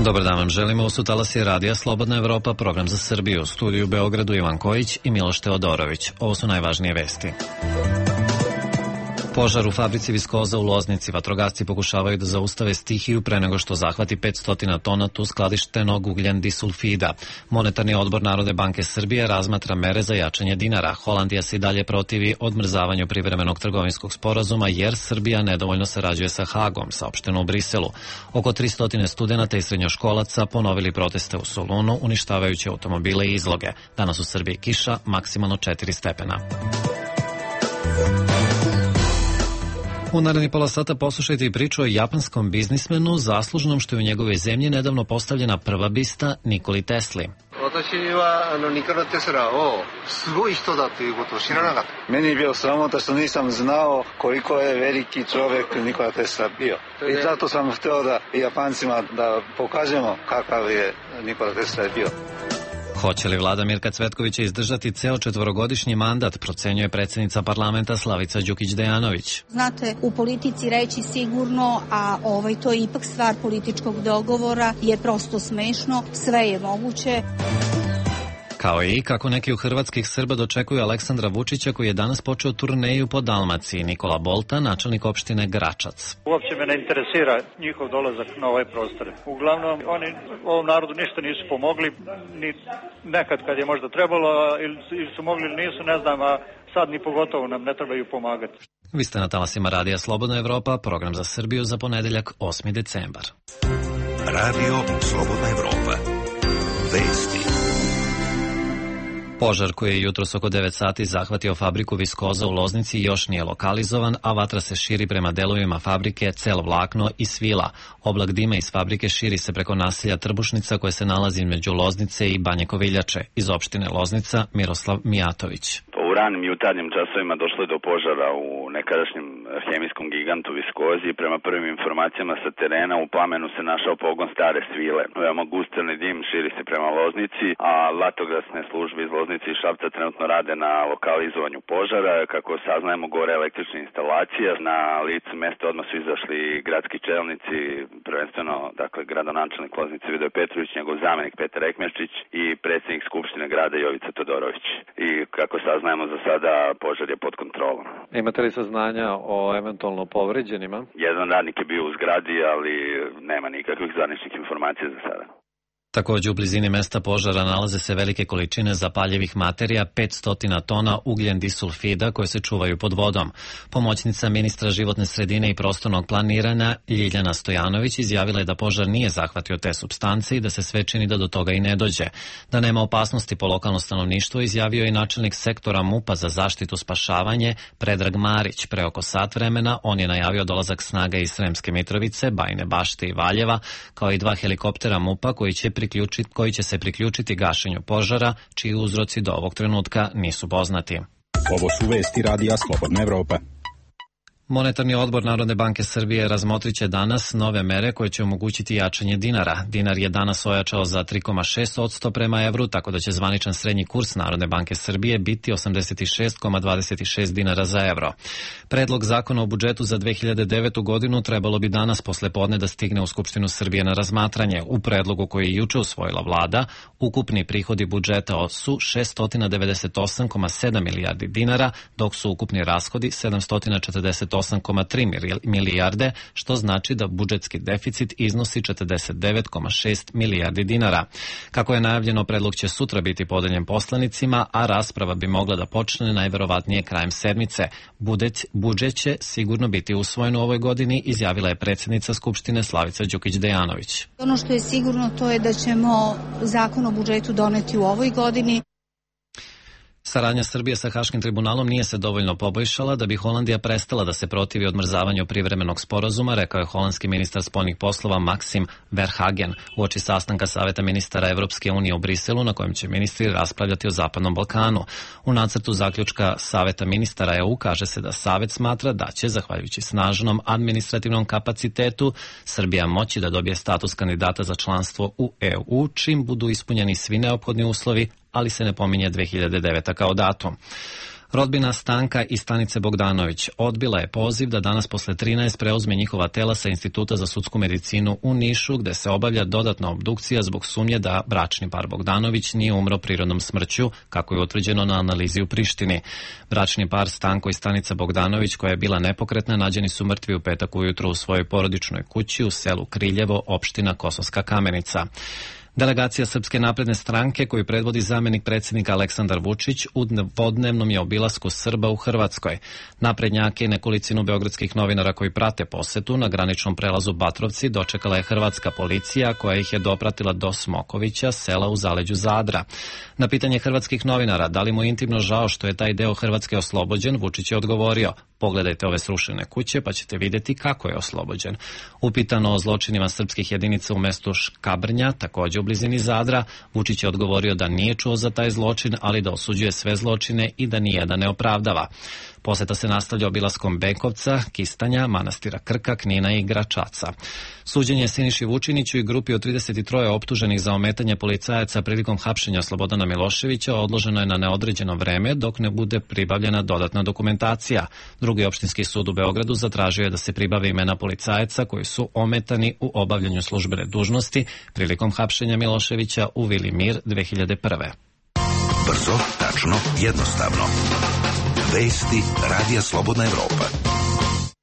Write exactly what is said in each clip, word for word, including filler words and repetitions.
Dobar dan vam želimo, u Talasi radija Slobodna Evropa, program za Srbiju, u studiju u Beogradu Ivan Kojić i Miloš Teodorović. Ovo su najvažnije vesti. Požar u fabrici viskoza u Loznici. Vatrogasci pokušavaju da zaustave stihiju pre nego što zahvati petsto tona tu skladištenog ugljen disulfida. Monetarni odbor Narodne banke Srbije razmatra mere za jačanje dinara. Holandija se i dalje protivi odmrzavanju privremenog trgovinskog sporazuma jer Srbija nedovoljno sarađuje sa Hagom, saopšteno u Briselu. Oko tristo studenata i srednjoškolaca ponovili proteste u Solunu, uništavajući automobile i izloge. Danas u Srbiji kiša, maksimalno četiri stepena. U naredni pola sata poslušajte i priču o japanskom biznismenu zaslužnom što je u njegovoj zemlji nedavno postavljena prva bista Nikoli Tesli. Meni je bio sramota što nisam znao koliko je veliki čovjek Nikola Tesla bio. I zato sam htio da Japancima da pokažemo kakav je Nikola Tesla bio. Hoće li vlada Mirka Cvetkovića izdržati ceo četvorogodišnji mandat, procenjuje predsjednica parlamenta Slavica Đukić-Dejanović. Znate, u politici reći sigurno, a ovaj, to je ipak stvar političkog dogovora, je prosto smešno, sve je moguće. Kao i kako neki u hrvatskih Srba dočekuju Aleksandra Vučića koji je danas počeo turneju po Dalmaciji. Nikola Bolta, načelnik opštine Gračac. Uopće me ne interesira njihov dolazak na ovaj prostor. Uglavnom, oni ovom narodu ništa nisu pomogli, ni nekad kad je možda trebalo, ili su mogli ili nisu, ne znam, a sad ni pogotovo nam ne trebaju pomagati. Vi ste na talasima radija Slobodna Evropa, program za Srbiju za ponedeljak osmi decembar. Radio Slobodna Evropa. Vesti. Požar koji je jutros oko devet sati zahvatio fabriku viskoza u Loznici još nije lokalizovan, a vatra se širi prema delovima fabrike Cel Vlakno i Svila. Oblak dima iz fabrike širi se preko naselja Trbušnica koje se nalazi među Loznice i Banje Koviljače. Iz opštine Loznica Miroslav Mijatović. U ranim jutarnjim časovima došlo je do požara u nekadašnjem hemijskom gigantu viskozi. Prema prvim informacijama sa terena u plamenu se našao pogon stare Svile. Veoma gustelni dim širi se prema Loznici, a vatrogasne službe iz Loznice i Šapca trenutno rade na lokalizovanju požara. Kako saznajemo, gore električna instalacija. Na licu mesta odmah su izašli gradski čelnici, prvenstveno dakle gradonačelnik Loznice Vidoje Petrović, njegov zamenik Petar Ekmerčić i predsjednik Skupštine grada Jovica Todorović. I kako saznajemo, za sada požar je pod kontrolom. Imate li saznanja o eventualno povređenima? Jedan radnik je bio u zgradi, ali nema nikakvih zvaničnih informacija za sada. Također u blizini mesta požara nalaze se velike količine zapaljivih materija, petsto tona ugljen disulfida koje se čuvaju pod vodom. Pomoćnica ministra životne sredine i prostornog planiranja Ljiljana Stojanović izjavila je da požar nije zahvatio te supstance i da se sve čini da do toga i ne dođe. Da nema opasnosti po lokalno stanovništvo izjavio je načelnik sektora MUP-a za zaštitu spašavanje Predrag Marić. Pre oko sat vremena on je najavio dolazak snaga iz Sremske Mitrovice, Bajine Bašte i Valjeva, kao i dva helikoptera MUP-a koji će koji će se priključiti gašenju požara, čiji uzroci do ovog trenutka nisu poznati. Ovo su vesti radija Slobodna Evropa. Monetarni odbor Narodne banke Srbije razmotrit će danas nove mere koje će omogućiti jačanje dinara. Dinar je danas ojačao za tri zarez šest posto prema evru, tako da će zvaničan srednji kurs Narodne banke Srbije biti osamdeset šest zarez dvadeset šest dinara za evro. Predlog zakona o budžetu za dve hiljade devetu godinu trebalo bi danas posle podne da stigne u Skupštinu Srbije na razmatranje. U predlogu koji je juče usvojila vlada, ukupni prihodi budžeta su šesto devedeset osam zarez sedam milijardi dinara, dok su ukupni rashodi sedamsto četrdeset osam zarez tri milijarde, što znači da budžetski deficit iznosi četrdeset devet zarez šest milijardi dinara. Kako je najavljeno, predlog će sutra biti podeljen poslanicima, a rasprava bi mogla da počne najverovatnije krajem sedmice. Budžet će sigurno biti usvojen u ovoj godini, izjavila je predsjednica Skupštine Slavica Đukić-Dejanović. Ono što je sigurno to je da ćemo zakon o budžetu doneti u ovoj godini. Saradnja Srbije sa Haškim tribunalom nije se dovoljno poboljšala da bi Holandija prestala da se protivi odmrzavanju privremenog sporazuma, rekao je holandski ministar spoljnih poslova Maxim Verhagen uoči sastanka Saveta ministara Evropske unije u Briselu, na kojem će ministri raspravljati o Zapadnom Balkanu. U nacrtu zaključka Saveta ministara E U kaže se da Savet smatra da će, zahvaljujući snažnom administrativnom kapacitetu, Srbija moći da dobije status kandidata za članstvo u E U, čim budu ispunjeni svi neophodni uslovi, ali se ne pominje dve hiljade deveta kao datum. Rodbina Stanka i Stanice Bogdanović odbila je poziv da danas posle trinaest preuzme njihova tela sa Instituta za sudsku medicinu u Nišu, gde se obavlja dodatna obdukcija zbog sumnje da bračni par Bogdanović nije umro prirodnom smrću, kako je utvrđeno na analizi u Prištini. Bračni par Stanko i Stanica Bogdanović, koja je bila nepokretna, nađeni su mrtvi u petak ujutro u svojoj porodičnoj kući u selu Kriljevo, opština Kosovska Kamenica. Delegacija Srpske napredne stranke, koju predvodi zamenik predsjednika Aleksandar Vučić, u dvodnevnom je obilasku Srba u Hrvatskoj. Naprednjake i nekolicinu beogradskih novinara koji prate posetu na graničnom prelazu Batrovci dočekala je hrvatska policija, koja ih je dopratila do Smokovića, sela u zaleđu Zadra. Na pitanje hrvatskih novinara da li mu intimno žao što je taj deo Hrvatske oslobođen, Vučić je odgovorio: pogledajte ove srušene kuće pa ćete vidjeti kako je oslobođen. Upitano o zločinima srpskih jedinica u mestu Škabrnja, također u blizini Zadra, Vučić je odgovorio da nije čuo za taj zločin, ali da osuđuje sve zločine i da nijedan ne opravdava. Poseta se nastavlja obilaskom Benkovca, Kistanja, manastira Krka, Knina i Gračaca. Suđenje Siniši Vučiniću i grupi od trideset tri optuženih za ometanje policajaca prilikom hapšenja Slobodana Miloševića odloženo je na neodređeno vreme dok ne bude pribavljena dodatna dokumentacija. Drugi opštinski sud u Beogradu zatražio je da se pribave imena policajaca koji su ometani u obavljanju službene dužnosti prilikom hapšenja Miloševića u Vili Mir dve hiljade prve. Brzo, tačno, jednostavno. Vesti Radija Slobodna Evropa.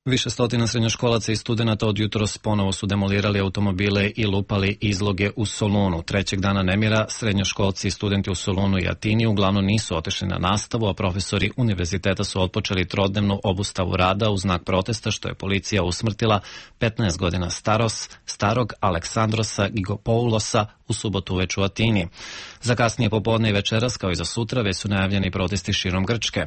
Više stotina srednjoškolaca i studenata od jutros ponovo su demolirali automobile i lupali izloge u Solunu. Trećeg dana nemira srednjoškolci i studenti u Solunu i Atini uglavnom nisu otišli na nastavu, a profesori univerziteta su otpočeli trodnevnu obustavu rada u znak protesta što je policija usmrtila petnaest godina staros, starog Aleksandrosa Gigopoulosa u subotu uveč u Atini. Za kasnije popodne i večeras, kao i za sutra, već su najavljeni protesti širom Grčke.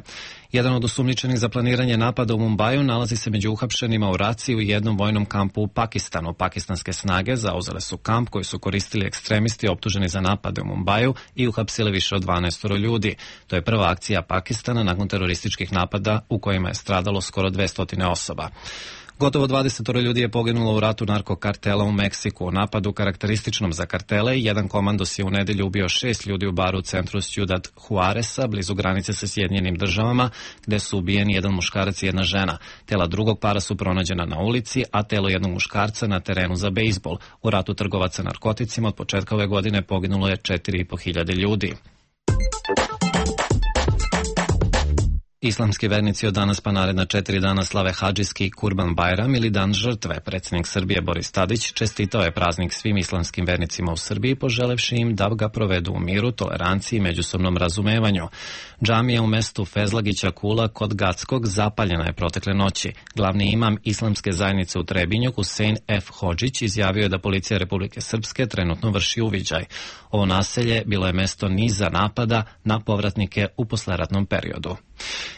Jedan od osumnjičenih za planiranje napada u Mumbaju nalazi se među uhapšenima u raciji u jednom vojnom kampu u Pakistanu. Pakistanske snage zauzele su kamp koji su koristili ekstremisti optuženi za napade u Mumbaju i uhapsile više od dvanaest ljudi. To je prva akcija Pakistana nakon terorističkih napada u kojima je stradalo skoro dvesta osoba. Gotovo dvadeset ljudi je poginulo u ratu narkokartela u Meksiku. U napadu karakterističnom za kartele, jedan komandos je u nedelju ubio šest ljudi u baru u centru Ciudad Juareza, blizu granice sa Sjedinjenim državama, gde su ubijeni jedan muškarac i jedna žena. Tela drugog para su pronađena na ulici, a telo jednog muškarca na terenu za bejzbol. U ratu trgovaca narkoticima od početka ove godine poginulo je četiri i po hiljade ljudi. Islamski vernici od danas pa naredna četiri dana slave Hadžijski Kurban Bajram ili Dan žrtve. Predsjednik Srbije Boris Tadić čestitao je praznik svim islamskim vernicima u Srbiji, poželevši im da ga provedu u miru, toleranciji i međusobnom razumevanju. Džamija u mestu Fezlagića Kula kod Gackog zapaljena je protekle noći. Glavni imam islamske zajednice u Trebinju, Husein F. Hodžić, izjavio je da policija Republike Srpske trenutno vrši uviđaj. Ovo naselje bilo je mesto niza napada na povratnike u posleratnom periodu.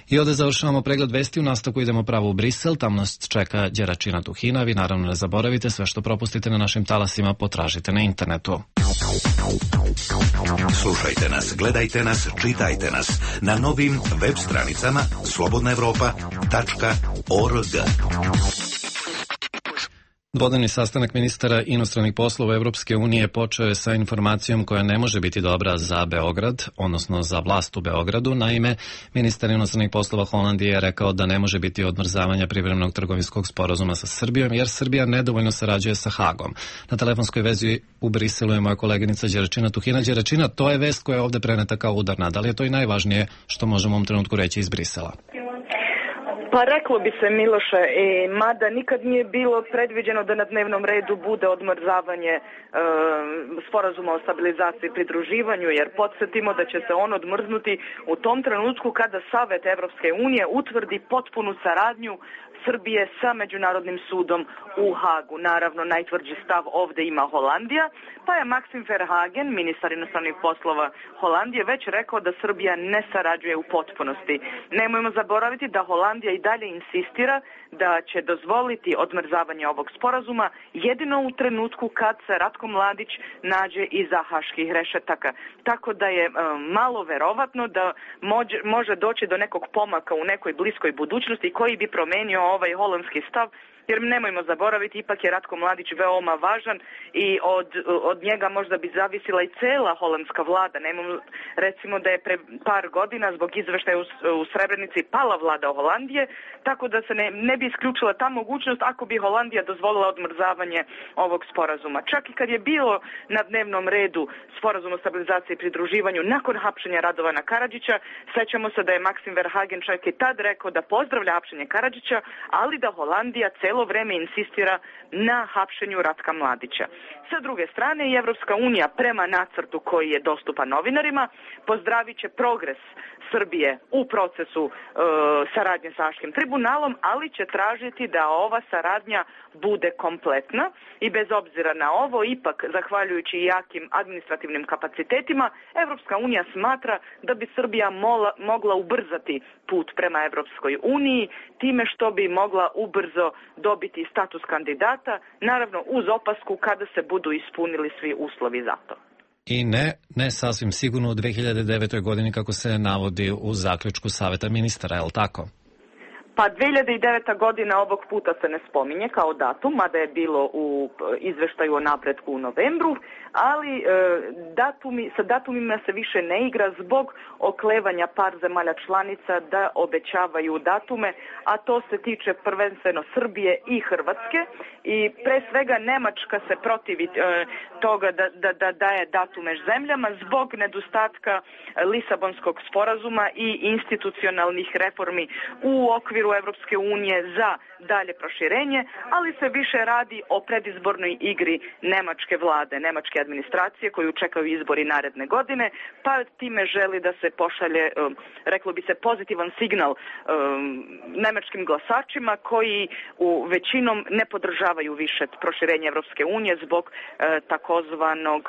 I ovdje završavamo pregled vesti, u nastavku idemo pravo u Brisel, tamo nas čeka Đeračina Tuhina. Vi naravno ne zaboravite, sve što propustite na našim talasima potražite na internetu. Slušajte nas, gledajte nas, čitajte nas na novim web stranicama slobodna evropa tačka org. Dvodnevni sastanak ministara inostranih poslova Evropske unije počeo je sa informacijom koja ne može biti dobra za Beograd, odnosno za vlast u Beogradu. Naime, ministar inostranih poslova Holandije je rekao da ne može biti odmrzavanja privremenog trgovinskog sporazuma sa Srbijom, jer Srbija nedovoljno sarađuje sa Hagom. Na telefonskoj vezi u Briselu je moja koleginica Đeračina Tuhina. Đeračina, to je vest koja je ovde preneta kao udarna. Da li je to i najvažnije što možemo u ovom trenutku reći iz Brisela? Pa reklo bi se, Miloše, e, mada nikad nije bilo predviđeno da na dnevnom redu bude odmrzavanje e, sporazuma o stabilizaciji i pridruživanju, jer podsjetimo da će se on odmrznuti u tom trenutku kada Savet Evropske unije utvrdi potpunu saradnju Srbije sa Međunarodnim sudom u Hagu. Naravno, najtvrđi stav ovde ima Holandija, pa je Maxim Verhagen, ministar inostranih poslova Holandije, već rekao da Srbija ne sarađuje u potpunosti. Nemojmo zaboraviti da Holandija i dalje insistira da će dozvoliti odmrzavanje ovog sporazuma jedino u trenutku kad se Ratko Mladić nađe iza haških rešetaka. Tako da je um, malo verovatno da mođe, može doći do nekog pomaka u nekoj bliskoj budućnosti koji bi promenio ovaj holandski stav jer nemojmo zaboraviti, ipak je Ratko Mladić veoma važan i od, od njega možda bi zavisila i cela holandska vlada. Nemamo, recimo da je pre par godina zbog izveštaja u, u Srebrenici pala vlada Holandije, tako da se ne, ne bi isključila ta mogućnost ako bi Holandija dozvolila odmrzavanje ovog sporazuma. Čak i kad je bilo na dnevnom redu sporazum o stabilizaciji i pridruživanju nakon hapšenja Radovana Karadžića, sećamo se da je Maksim Verhagen čak i tad rekao da pozdravlja hapšenje Karadžića, ali da Holandija celo vreme insistira na hapšenju Ratka Mladića. Sa druge strane, i Evropska unija prema nacrtu koji je dostupan novinarima pozdravit će progres Srbije u procesu e, saradnje sa Haškim tribunalom, ali će tražiti da ova saradnja bude kompletna i bez obzira na ovo, ipak, zahvaljujući jakim administrativnim kapacitetima, Evropska unija smatra da bi Srbija mola, mogla ubrzati put prema Evropskoj uniji, time što bi mogla ubrzo dobiti status kandidata, naravno uz opasku kada se budu ispunili svi uslovi za to. I ne, ne sasvim sigurno u dve hiljade devetoj. godini kako se navodi u zaključku Saveta ministara, je li tako? Pa dve hiljade deveta. godina ovog puta se ne spominje kao datum, mada je bilo u izveštaju o napretku u novembru, ali e, datumi, sa datumima se više ne igra zbog oklevanja par zemalja članica da obećavaju datume, a to se tiče prvenstveno Srbije i Hrvatske i pre svega Nemačka se protivi e, toga da, da, da daje datume zemljama zbog nedostatka Lisabonskog sporazuma i institucionalnih reformi u okviru Evropske unije za dalje proširenje, ali se više radi o predizbornoj igri nemačke vlade, nemačke administracije koju čekaju izbori naredne godine, pa time želi da se pošalje, reklo bi se, pozitivan signal nemačkim glasačima koji u većinom ne podržavaju više proširenje Evropske unije zbog takozvanog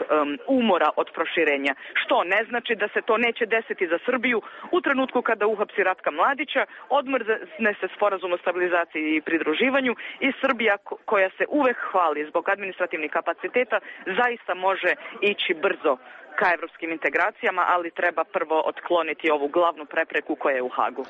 umora od proširenja. Što ne znači da se to neće desiti za Srbiju u trenutku kada uhapsi Ratka Mladića, odmrzne se sporazum o stabilizaciji i pridruživanju i Srbija koja se uvek hvali zbog administrativnih kapaciteta zaista može ići brzo ka evropskim integracijama, ali treba prvo otkloniti ovu glavnu prepreku koja je u Hagu.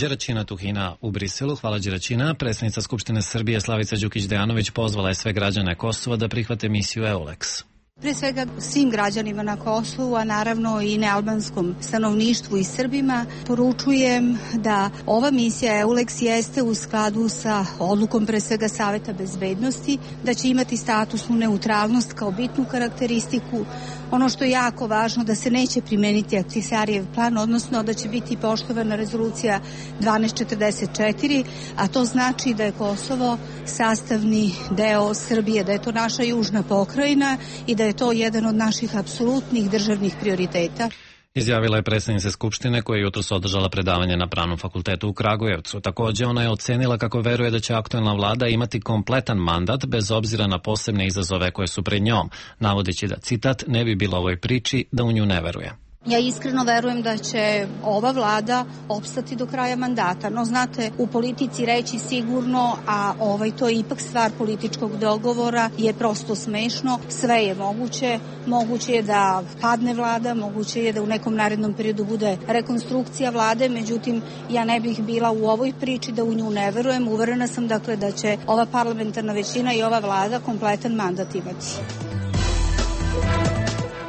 Đeračina Tuhina u Briselu. Hvala Đeračina. Predsjednica Skupštine Srbije Slavica Đukić-Dejanović pozvala je sve građane Kosova da prihvate misiju EULEX. Pre svega svim građanima na Kosovu, a naravno i nealbanskom stanovništvu i Srbima, poručujem da ova misija EULEX jeste u skladu sa odlukom pre svega Saveta bezbednosti, da će imati statusnu neutralnost kao bitnu karakteristiku. Ono što je jako važno, da se neće primeniti Ahtisarijev plan, odnosno da će biti poštovana rezolucija dvanaest četrdeset četiri, a to znači da je Kosovo sastavni deo Srbije, da je to naša južna pokrajina i da je to jedan od naših apsolutnih državnih prioriteta. Izjavila je predsjednica Skupštine koja je jutros održala predavanje na Pravnom fakultetu u Kragujevcu. Također ona je ocenila kako veruje da će aktuelna vlada imati kompletan mandat bez obzira na posebne izazove koje su pred njom, navodeći da, citat, ne bi bilo ovoj priči da u nju ne veruje. Ja iskreno verujem da će ova vlada opstati do kraja mandata, no znate, u politici reći sigurno, a ovaj, to je ipak stvar političkog dogovora, je prosto smešno. Sve je moguće, moguće je da padne vlada, moguće je da u nekom narednom periodu bude rekonstrukcija vlade, međutim ja ne bih bila u ovoj priči da u nju ne verujem. Uverena sam dakle da će ova parlamentarna većina i ova vlada kompletan mandat imati.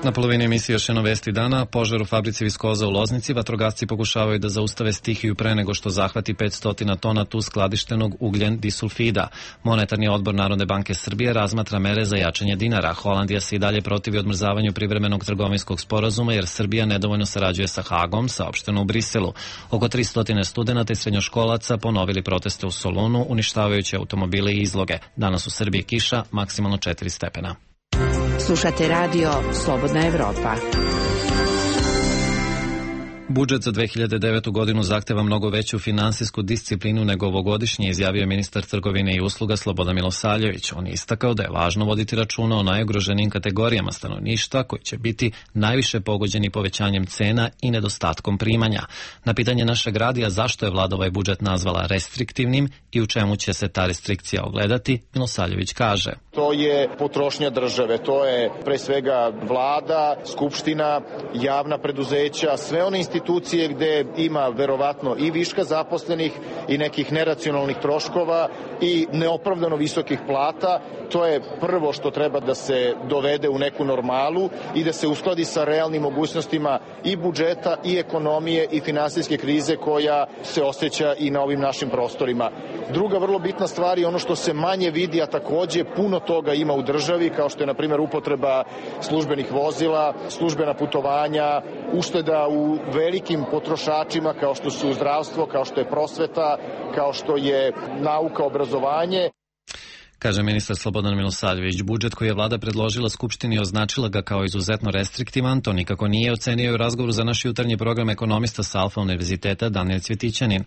Na polovini emisije još jedno vesti dana. Požar u fabrici viskoza u Loznici. Vatrogasci pokušavaju da zaustave stihiju pre nego što zahvati petsto tona tu skladištenog ugljen disulfida. Monetarni odbor Narodne banke Srbije razmatra mere za jačanje dinara. Holandija se i dalje protivi odmrzavanju privremenog trgovinskog sporazuma jer Srbija nedovoljno sarađuje sa Hagom, saopšteno u Briselu. Oko tristo studenata i srednjoškolaca ponovili proteste u Solunu, uništavajući automobile i izloge. Danas u Srbiji kiša, maksimalno četiri stepena. Slušate radio Slobodna Evropa. Budžet za dve hiljade devetu. godinu zahteva mnogo veću finansijsku disciplinu nego ovogodišnji, izjavio ministar trgovine i usluga Slobodan Milosavljević. On je istakao da je važno voditi računa o najugroženijim kategorijama stanovništva koji će biti najviše pogođeni povećanjem cena i nedostatkom primanja. Na pitanje našeg radija zašto je vlada ovaj budžet nazvala restriktivnim i u čemu će se ta restrikcija ogledati, Milosavljević kaže: To je potrošnja države, to je pre svega vlada, skupština, javna preduzeća, sve one institucije institucije gde ima verovatno i viška zaposlenih i nekih neracionalnih troškova i neopravdano visokih plata. To je prvo što treba da se dovede u neku normalu i da se uskladi sa realnim mogućnostima i budžeta i ekonomije i finansijske krize koja se osjeća i na ovim našim prostorima. Druga vrlo bitna stvar je ono što se manje vidi, a takođe puno toga ima u državi, kao što je na primjer upotreba službenih vozila, službena putovanja, ušteda u velikim potrošačima kao što su zdravstvo, kao što je prosveta, kao što je nauka, obrazovanje. Kaže ministar Slobodan Milosavljević. Budžet koji je vlada predložila Skupštini i označila ga kao izuzetno restriktivan, to nikako nije, ocenio u razgovoru za naš jutarnji program ekonomista sa Alfa univerziteta Danijel Cvjetićanin.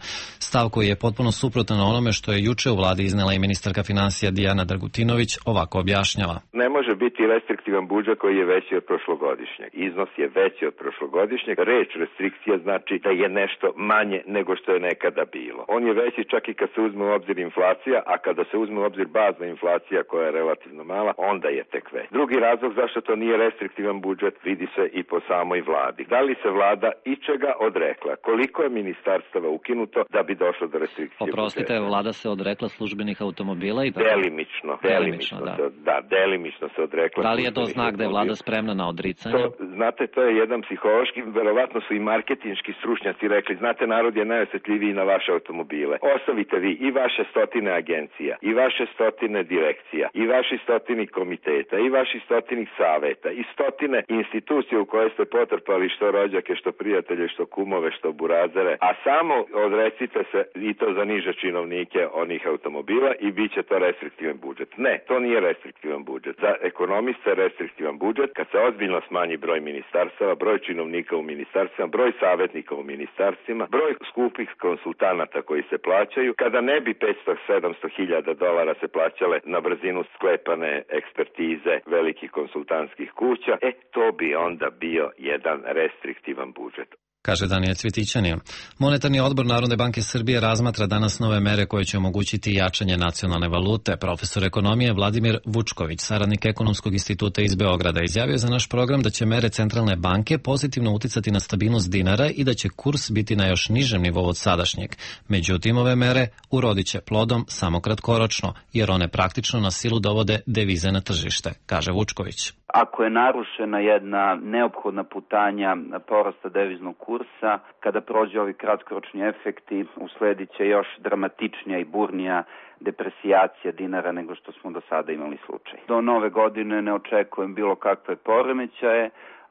Stav koji je potpuno suprotan onome što je juče u vladi iznela i ministarka finansija Dijana Dragutinović ovako objašnjava. Ne može biti restriktivan budžet koji je veći od prošlogodišnjeg. Iznos je veći od prošlogodišnjeg. Reč restrikcija znači da je nešto manje nego što je nekada bilo. On je veći čak i kad se uzme u obzir inflacija, a kada se uzme u obzir bazna inflacija koja je relativno mala, onda je tek već. Drugi razlog zašto to nije restriktivan budžet vidi se i po samoj vladi. Da li se vlada ičega odrekla? Koliko je ministarstava ukinuto da bi došlo do restrikcije Oprostite, budžeta? Vlada se odrekla službenih automobila i tako? Delimično, delimično, da. Se, da, delimično se odrekla. Da li je to znak da je vlada spremna na odricanje? To, znate, to je jedan psihološki, verovatno su i marketinški stručnjaci rekli, znate, narod je najosjetljiviji na vaše automobile. Ostavite vi i vaše stotine agencija, i vaše stotine direkcija, i vaši stotini komiteta, i vaši stotinih saveta, i stotine institucije u koje ste potrpali što rođake, što prijatelje, što kumove, što burazere, a samo odrecite se i to za niže činovnike onih automobila i bit će to restriktivan budžet. Ne, to nije restriktivan budžet. Za ekonomista je restriktivan budžet kad se ozbiljno smanji broj ministarstava, broj činovnika u ministarstvima, broj savjetnika u ministarstvima, broj skupih konsultanata koji se plaćaju, kada ne bi petsto do sedamsto hiljada dolara se plaćale na brzinu sklepane ekspertize velikih konsultantskih kuća, e to bi onda bio jedan restriktivan budžet. Kaže Danijel Cvjetićanin. Monetarni odbor Narodne banke Srbije razmatra danas nove mere koje će omogućiti jačanje nacionalne valute. Profesor ekonomije Vladimir Vučković, saradnik Ekonomskog instituta iz Beograda, izjavio za naš program da će mere centralne banke pozitivno uticati na stabilnost dinara i da će kurs biti na još nižem nivou od sadašnjeg. Međutim, ove mere urodit će plodom samo kratkoročno, jer one praktično na silu dovode devize na tržište, kaže Vučković. Ako je narušena jedna neophodna putanja porasta deviznog kursa, kada prođe ovi kratkoročni efekti, usledit će još dramatičnija i burnija depresijacija dinara nego što smo do sada imali slučaj. Do nove godine ne očekujem bilo kakve poremećaje,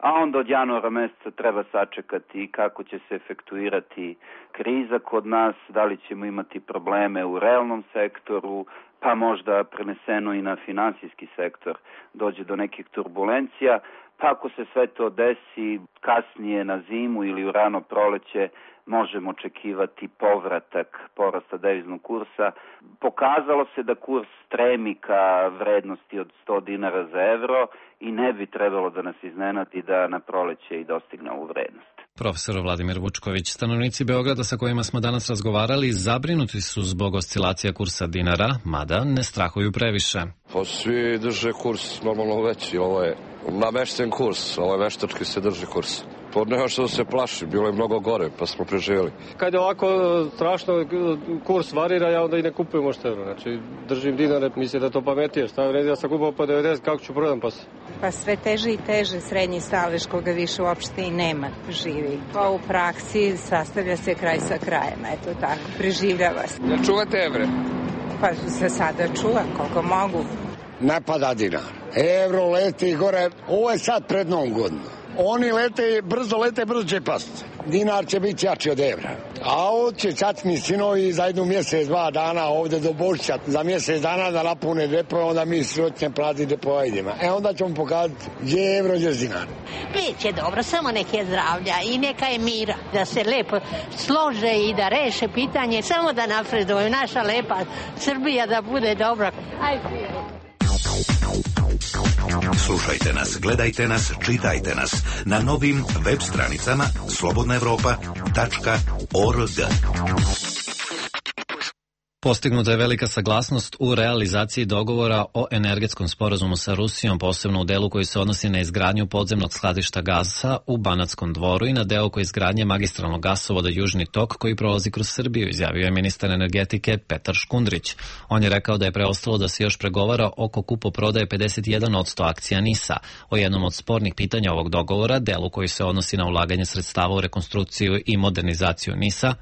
a onda od januara meseca treba sačekati kako će se efektuirati kriza kod nas, da li ćemo imati probleme u realnom sektoru, pa možda preneseno i na finansijski sektor dođe do nekih turbulencija, pa ako se sve to desi kasnije na zimu ili u rano proleće, možemo očekivati povratak porasta deviznog kursa. Pokazalo se da kurs stremi ka vrednosti od sto dinara za evro i ne bi trebalo da nas iznenadi da na proleće i dostigne ovu vrednost. Profesor Vladimir Vučković. Stanovnici Beograda sa kojima smo danas razgovarali zabrinuti su zbog oscilacija kursa dinara, mada ne strahuju previše. Pa svi drže kurs normalno veći, ovo je namešten kurs, ovo je veštački se drži kurs. To nema što se plaši, bilo je mnogo gore, pa smo preživjeli. Kad je ovako strašno kurs varira, ja onda i ne kupujem možda evro. Znači, držim dinare, mislim da to pametije. Šta vredi, ja sam kupao po devedeset, kako ću prodam pas? Pa sve teže i teže srednji stalež koga više uopšte i nema živi. Pa u praksi sastavlja se kraj sa krajem, eto tako, preživljava se. Da čuvate evre? Pa se sada čuvam koliko mogu. Ne pada dinar. Evro leti gore, ovo je sad pred Novom godinu. Oni lete, brzo lete, brzo će pasti. Dinar će biti jači od evra. A ovdje će čatni sinovi za jednu mjesec, dva dana ovdje do Božića, za mjesec dana da napune depove, onda mi srotnje plati depova idemo. E onda ćemo pokazati gdje je evro, gdje je dinar. Biće dobro, samo nek je zdravlja i neka je mira. Da se lepo slože i da reše pitanje, samo da napreduju. Naša lepa Srbija da bude dobra. Ajde. Slušajte nas, gledajte nas, čitajte nas na novim web stranicama slobodna evropa tačka org. Postignuta je velika saglasnost u realizaciji dogovora o energetskom sporazumu sa Rusijom, posebno u delu koji se odnosi na izgradnju podzemnog skladišta gasa u Banatskom Dvoru i na deo koji izgradnje magistralnog gasovoda Južni tok koji prolazi kroz Srbiju, izjavio je ministar energetike Petar Škundrić. On je rekao da je preostalo da se još pregovara oko kupoprodaje pedeset jedan posto akcija NIS-a. O jednom od spornih pitanja ovog dogovora, delu koji se odnosi na ulaganje sredstava u rekonstrukciju i modernizaciju NIS-a,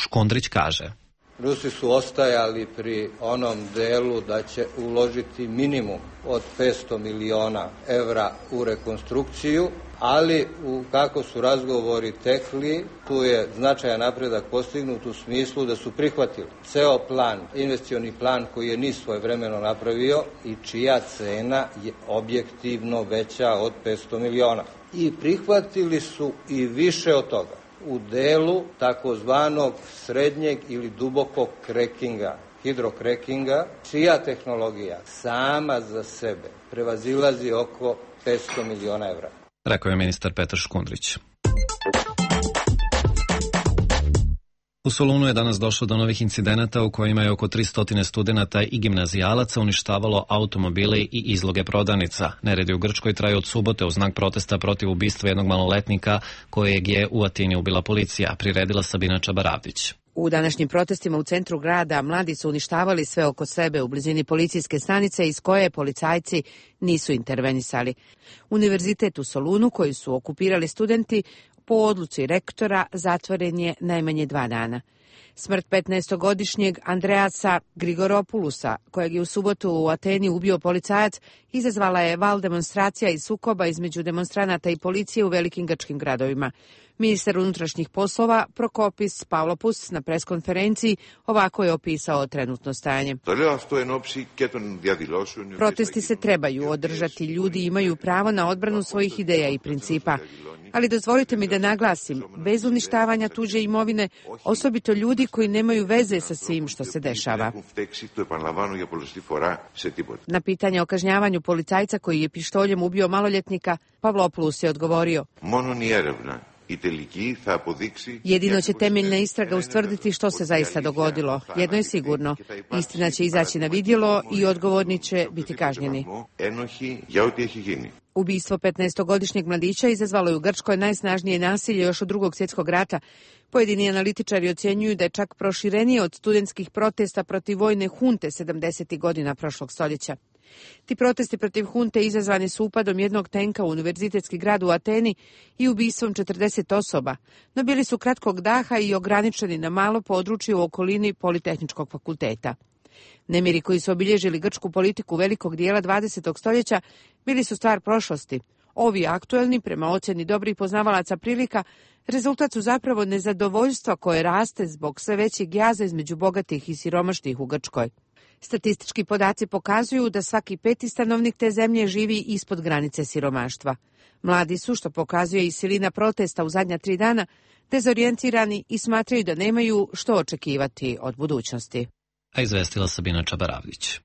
Škundrić kaže: Rusi su ostajali pri onom delu da će uložiti minimum od petsto miliona evra u rekonstrukciju, ali u kako su razgovori tekli, tu je značajan napredak postignut u smislu da su prihvatili ceo plan, investicioni plan koji je NIS svojevremeno napravio i čija cena je objektivno veća od petsto miliona. I prihvatili su i više od toga u delu takozvanog srednjeg ili dubokog krekinga, hidrokrekinga, čija tehnologija sama za sebe prevazilazi oko petsto miliona evra. Rekao je ministar Petar Škundrić. U Solunu je danas došlo do novih incidenata u kojima je oko tristo studenata i gimnazijalaca uništavalo automobile i izloge prodavnica. Neredi u Grčkoj traju od subote u znak protesta protiv ubistva jednog maloletnika kojeg je u Atini ubila policija, priredila Sabina Čabaravdić. U današnjim protestima u centru grada mladi su uništavali sve oko sebe u blizini policijske stanice iz koje policajci nisu intervenisali. Univerzitet u Solunu, koji su okupirali studenti, po odluci rektora zatvoren je najmanje dva dana. Smrt petnaestogodišnjeg Andreasa Grigoropulusa, kojeg je u subotu u Ateni ubio policajac, izazvala je val demonstracija i sukoba između demonstranata i policije u velikim grčkim gradovima. Ministar unutrašnjih poslova Prokopis Pavlopoulos na preskonferenciji ovako je opisao trenutno stanje. Protesti se trebaju održati, ljudi imaju pravo na odbranu svojih ideja i principa. Ali dozvolite mi da naglasim, bez uništavanja tuđe imovine, osobito ljudi koji nemaju veze sa svim što se dešava. Na pitanje o kažnjavanju policajca koji je pištoljem ubio maloljetnika, Pavlopoulos je odgovorio: jedino će temeljna istraga ustvrditi što se zaista dogodilo. Jedno je sigurno, istina će izaći na vidjelo i odgovorni će biti kažnjeni. Ubistvo petnaestogodišnjeg mladića izazvalo je u Grčkoj najsnažnije nasilje još od Drugog svjetskog rata. Pojedini analitičari ocjenjuju da je čak proširenije od studentskih protesta protiv vojne hunte sedamdesetih godina prošlog stoljeća. Ti protesti protiv hunte izazvani su upadom jednog tenka u univerzitetski grad u Ateni i ubistvom četrdeset osoba, no bili su kratkog daha i ograničeni na malo područje u okolini Politehničkog fakulteta. Nemiri koji su obilježili grčku politiku velikog dijela dvadesetog stoljeća bili su stvar prošlosti. Ovi aktuelni, prema ocjeni dobrih poznavalaca prilika, rezultat su zapravo nezadovoljstva koje raste zbog sve većeg jaza između bogatih i siromašnih u Grčkoj. Statistički podaci pokazuju da svaki peti stanovnik te zemlje živi ispod granice siromaštva. Mladi su, što pokazuje i silina protesta u zadnja tri dana, dezorijentirani i smatraju da nemaju što očekivati od budućnosti. A izvestila Sabina Čabaravdić.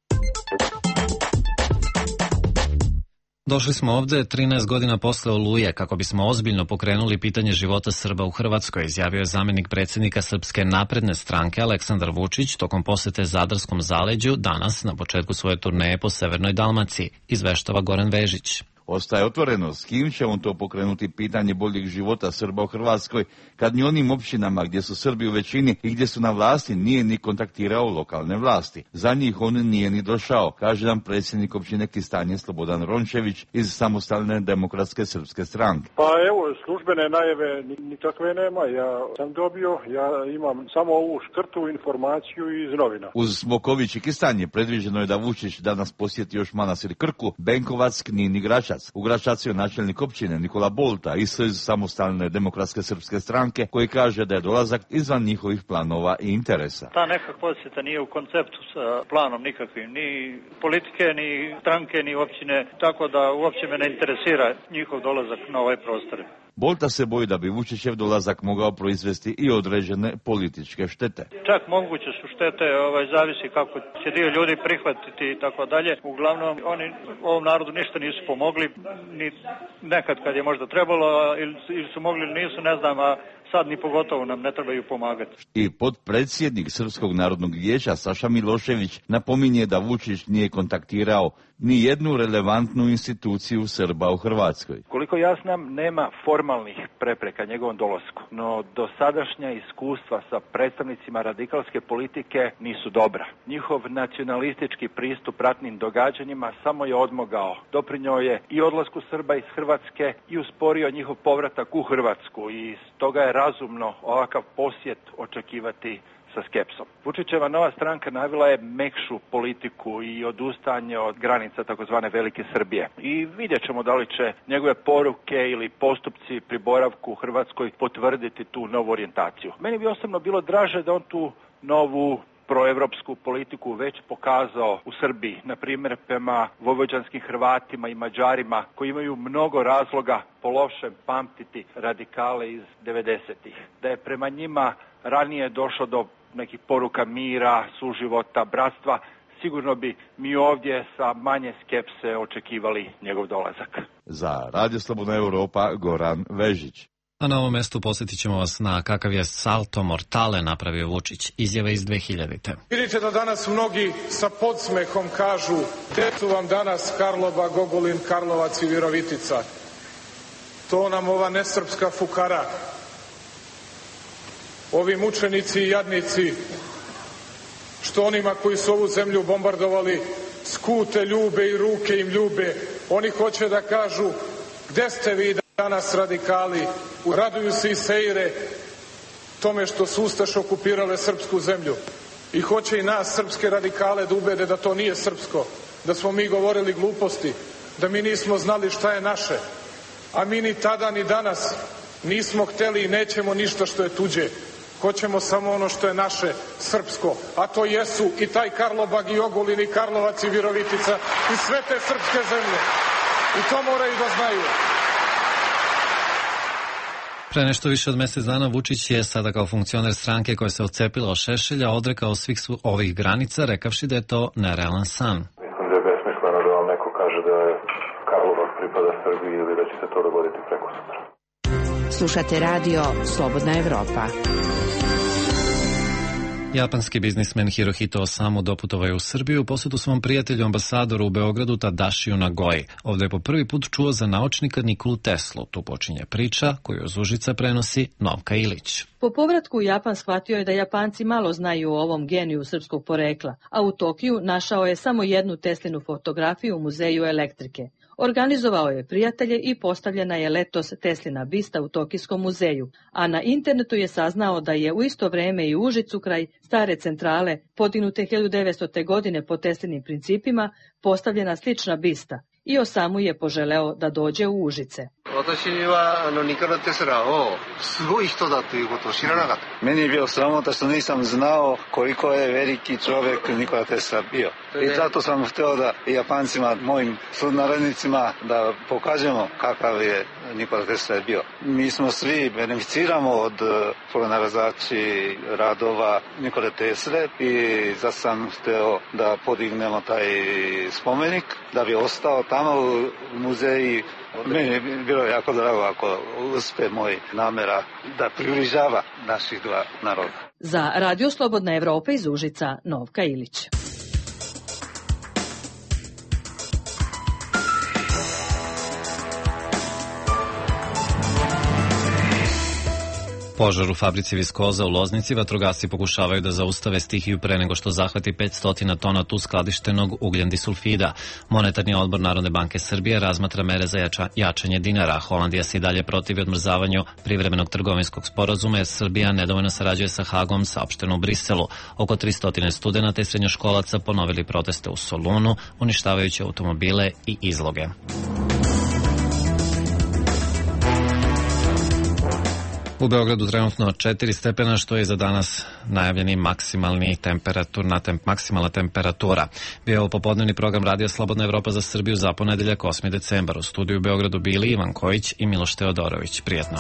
Došli smo ovde trinaest godina posle Oluje kako bismo ozbiljno pokrenuli pitanje života Srba u Hrvatskoj, izjavio je zamenik predsjednika Srpske napredne stranke Aleksandar Vučić tokom posete Zadarskom zaleđu danas na početku svoje turneje po Severnoj Dalmaciji, izveštava Goran Vežić. Ostaje otvoreno s kim će on to pokrenuti pitanje boljeg života Srba u Hrvatskoj, kad ni onim općinama gdje su Srbi u većini i gdje su na vlasti nije ni kontaktirao lokalne vlasti. Za njih on nije ni došao, kaže nam predsjednik općine Kistanje Slobodan Rončević iz Samostalne demokratske srpske stranke. Pa evo, službene najave nikakve nema, ja sam dobio, ja imam samo ovu škrtu informaciju iz novina. Uz Smoković i Kistanje predviđeno je da Vučić danas posjeti još Manastir Krku, Benkovac, Knin i Gračac. U Gračacu je načelnik općine Nikola Bolta iz Samostalne demokratske srpske stranke koji kaže da je dolazak izvan njihovih planova i interesa. Ta neka posjeta nije u konceptu sa planom nikakvim, ni politike, ni stranke, ni općine, tako da uopće me ne interesira njihov dolazak na ovaj prostor. Bolta se boji da bi Vučićev dolazak mogao proizvesti i određene političke štete. Čak moguće su štete, ovaj, zavisi kako će dio ljudi prihvatiti i tako dalje. Uglavnom, oni ovom narodu ništa nisu pomogli, ni nekad kad je možda trebalo, ili, ili su mogli ili nisu, ne znam, a sad ni pogotovo nam ne trebaju pomagati. I potpredsjednik Srpskog narodnog vijeća Saša Milošević napominje da Vučić nije kontaktirao ni jednu relevantnu instituciju Srba u Hrvatskoj. Koliko ja znam, nema formalnih prepreka njegovom dolasku, no dosadašnja iskustva sa predstavnicima radikalske politike nisu dobra. Njihov nacionalistički pristup ratnim događanjima samo je odmogao. Doprinio je i odlasku Srba iz Hrvatske i usporio njihov povratak u Hrvatsku i stoga je razumno ovakav posjet očekivati sa skepsom. Vučićeva nova stranka navila je mekšu politiku i odustajanje od granica takozvane Velike Srbije. I vidjet ćemo da li će njegove poruke ili postupci pri boravku u Hrvatskoj potvrditi tu novu orijentaciju. Meni bi osobno bilo draže da on tu novu proevropsku politiku već pokazao u Srbiji, na primjer prema vojvođanskim Hrvatima i Mađarima koji imaju mnogo razloga po lošem pamtiti radikale iz devedesetih. Da je prema njima ranije došlo do nekih poruka mira, suživota, bratstva, sigurno bi mi ovdje sa manje skepse očekivali njegov dolazak. Za Radio Slobodna Europa, Goran Vežić. A na ovom mestu posjetit ćemo vas na kakav je salto mortale napravio Vučić, izjave iz dve hiljadite. Vidite da danas mnogi sa podsmehom kažu gde su vam danas Karlobag, Ogulin, Karlovac i Virovitica. To nam ova nesrpska fukara, ovi mučenici i jadnici, što onima koji su ovu zemlju bombardovali skute ljube i ruke im ljube. Oni hoće da kažu gde ste vi danas radikali, raduju se i seire tome što su ustaše okupirale srpsku zemlju i hoće i nas srpske radikale da ubede da to nije srpsko, da smo mi govorili gluposti, da mi nismo znali šta je naše, a mi ni tada ni danas nismo hteli i nećemo ništa što je tuđe. Hoćemo samo ono što je naše, srpsko, a to jesu i taj Karlobag i Ogulin i Karlovac i Virovitica i sve te srpske zemlje. I to moraju da znaju. Pre nešto više od mjesec dana Vučić je sada kao funkcioner stranke koja se odcepila od Šešelja odrekao svih ovih granica, rekavši da je to nerealan san. Mislim da je besmisleno da vam neko kaže da je Karlobag pripada Srbiji ili da će se to dogoditi preko sutra. Slušate radio Slobodna Evropa. Japanski biznismen Hirohito Osamu doputovao je u Srbiju u posjetu svom prijatelju ambasadoru u Beogradu Tadašiju Nagoji. Ovdje je po prvi put čuo za naučnika Nikolu Teslu. Tu počinje priča koju iz Užica prenosi Novka Ilić. Po povratku u Japan shvatio je da Japanci malo znaju o ovom geniju srpskog porekla, a u Tokiju našao je samo jednu Teslinu fotografiju u muzeju elektrike. Organizovao je prijatelje i postavljena je letos Teslina bista u Tokijskom muzeju, a na internetu je saznao da je u isto vreme i u Užicu kraj stare centrale, podignute hiljadu devetstote. godine po Teslinim principima, postavljena slična bista. I Osamu je poželeo da dođe u Užice. Meni je bio sramota što nisam znao koliko je veliki čovjek Nikola Tesla bio. I zato sam htio da Japancima, mojim sunarodnicima, da pokažemo kakav je Nikola Tesla bio. Mi smo svi beneficiramo od pronalazači radova Nikole Tesle i zato sam htio da podignemo taj spomenik, da bi ostao tamo u muzeji. Meni je bilo jako drago ako uspe moj namera da približava naših dva naroda. Za Radio Slobodna Evropa iz Užica, Novka Ilić. Požar u fabrici viskoza u Loznici vatrogasci pokušavaju da zaustave stihiju pre nego što zahvati petsto tona tu skladištenog ugljen disulfida. Monetarni odbor Narodne banke Srbije razmatra mere za jača, jačanje dinara. Holandija se i dalje protivi odmrzavanju privremenog trgovinskog sporazuma jer Srbija nedovoljno sarađuje sa Hagom, saopšteno u Briselu. Oko tristo studenata i srednjoškolaca ponovili proteste u Solunu, uništavajući automobile i izloge. U Beogradu trenutno četiri stepena, što je za danas najavljeni maksimalni temperaturna temp, maksimalna temperatura. Bio je ovo popodnevni program Radija Slobodna Evropa za Srbiju za ponedeljak osmi decembar. U studiju u Beogradu bili Ivan Kojić i Miloš Teodorović. Prijetno.